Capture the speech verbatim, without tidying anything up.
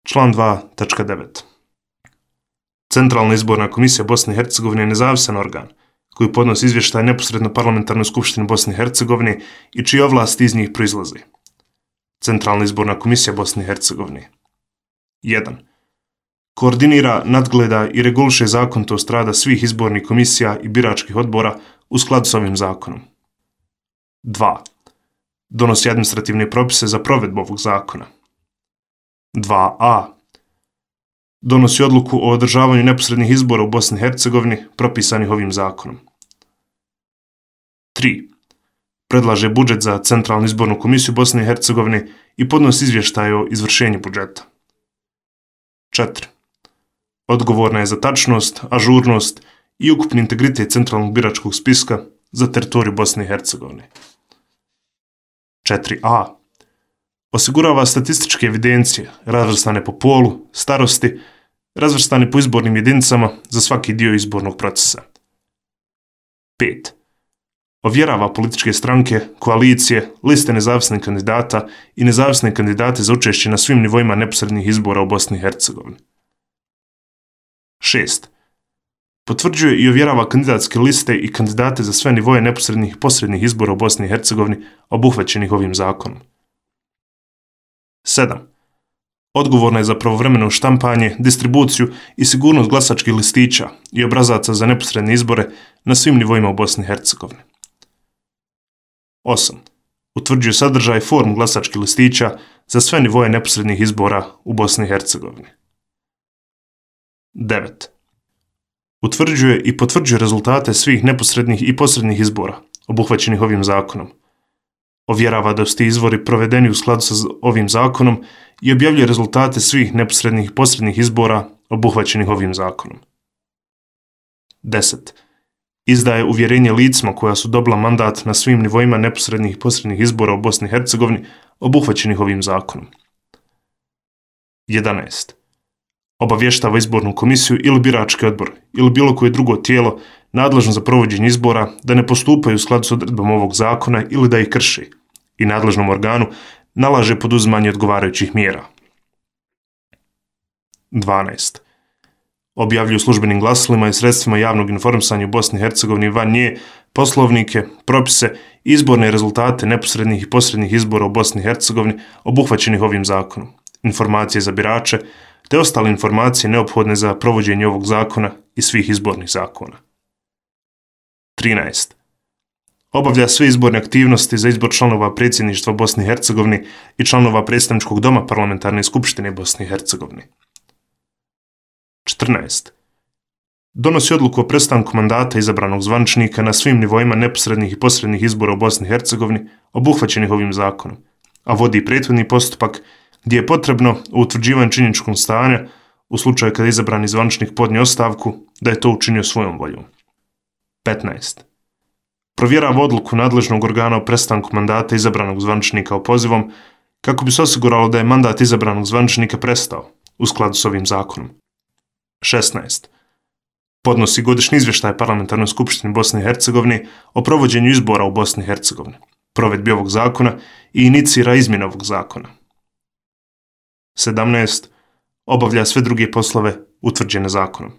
Član dva tačka devet. Centralna izborna komisija Bosne i Hercegovine je nezavisan organ koji podnosi izvještaj neposredno Parlamentarnoj skupštini Bosne i Hercegovine i čije ovlasti iz njih proizlaze. Centralna izborna komisija Bosne i Hercegovine. jedan. Koordinira, nadgleda i reguliše zakonitost rada svih izbornih komisija i biračkih odbora u skladu s ovim zakonom. dva. Donosi administrativne propise za provedbu ovog zakona. dva a. Donosi odluku o održavanju neposrednih izbora u Bosni i Hercegovini propisanih ovim zakonom. tri. Predlaže budžet za Centralnu izbornu komisiju Bosne i Hercegovine i podnosi izvještaj o izvršenju budžeta. četiri. Odgovorna je za tačnost, ažurnost i ukupni integritet centralnog biračkog spiska za teritoriju Bosne i Hercegovine. četiri a. Osigurava statističke evidencije razvrstane po polu, starosti, razvrstane po izbornim jedinicama za svaki dio izbornog procesa. pet. Ovjerava političke stranke, koalicije, liste nezavisnih kandidata i nezavisne kandidate za učešće na svim nivoima neposrednih izbora u Bosni i Hercegovini. šest. Potvrđuje i ovjerava kandidatske liste i kandidate za sve nivoje neposrednih i posrednih izbora u Bosni i Hercegovini obuhvaćenih ovim zakonom. sedam. Odgovorna je za pravovremeno štampanje, distribuciju i sigurnost glasačkih listića i obrazaca za neposredne izbore na svim nivoima u Bosni i Hercegovini. osam. Utvrđuje sadržaj i formu glasačkih listića za sve nivoje neposrednih izbora u Bosni i Hercegovini. devet. Utvrđuje i potvrđuje rezultate svih neposrednih i posrednih izbora obuhvaćenih ovim zakonom. Ovjerava da su ti izbori provedeni u skladu sa ovim zakonom i objavljuje rezultate svih neposrednih i posrednih izbora obuhvaćenih ovim zakonom. deset. Izdaje uvjerenje licima koja su dobila mandat na svim nivoima neposrednih i posrednih izbora u Bosni i Hercegovini obuhvaćenih ovim zakonom. jedanaest. Obavještava izbornu komisiju ili birački odbor ili bilo koje drugo tijelo nadležno za provođenje izbora da ne postupaju u skladu s odredbama ovog zakona ili da ih krši i nadležnom organu nalaže poduzimanje odgovarajućih mjera. dvanaest. Objavljuju službenim glasilima i sredstvima javnog informisanja u Bosni i Hercegovini van nje poslovnike, propise i izborne rezultate neposrednih i posrednih izbora u Bosni i Hercegovini obuhvaćenih ovim zakonom, informacije za birače, te ostale informacije neophodne za provođenje ovog zakona i svih izbornih zakona. trinaest. Obavlja sve izborne aktivnosti za izbor članova predsjedništva Bosne i Hercegovine i članova predstavničkog doma Parlamentarne skupštine Bosne i Hercegovine. četrnaest. Donosi odluku o prestanku mandata izabranog zvaničnika na svim nivoima neposrednih i posrednih izbora u Bosni i Hercegovini obuhvaćenih ovim zakonom, a vodi prethodni postupak gdje je potrebno u utvrđivanju činjeničkog stanja u slučaju kada izabrani zvaničnik podnio ostavku da je to učinio svojom voljom. petnaest. Provjerava odluku nadležnog organa o prestanku mandata izabranog zvaničnika opozivom kako bi se osiguralo da je mandat izabranog zvaničnika prestao u skladu s ovim zakonom. šesnaest. Podnosi godišnji izvještaj Parlamentarnoj skupštini Bosne i Hercegovine o provođenju izbora u Bosni i Hercegovini, provedbi ovog zakona i inicira izmjene ovog zakona. sedamnaest. Obavlja sve druge poslove utvrđene zakonom.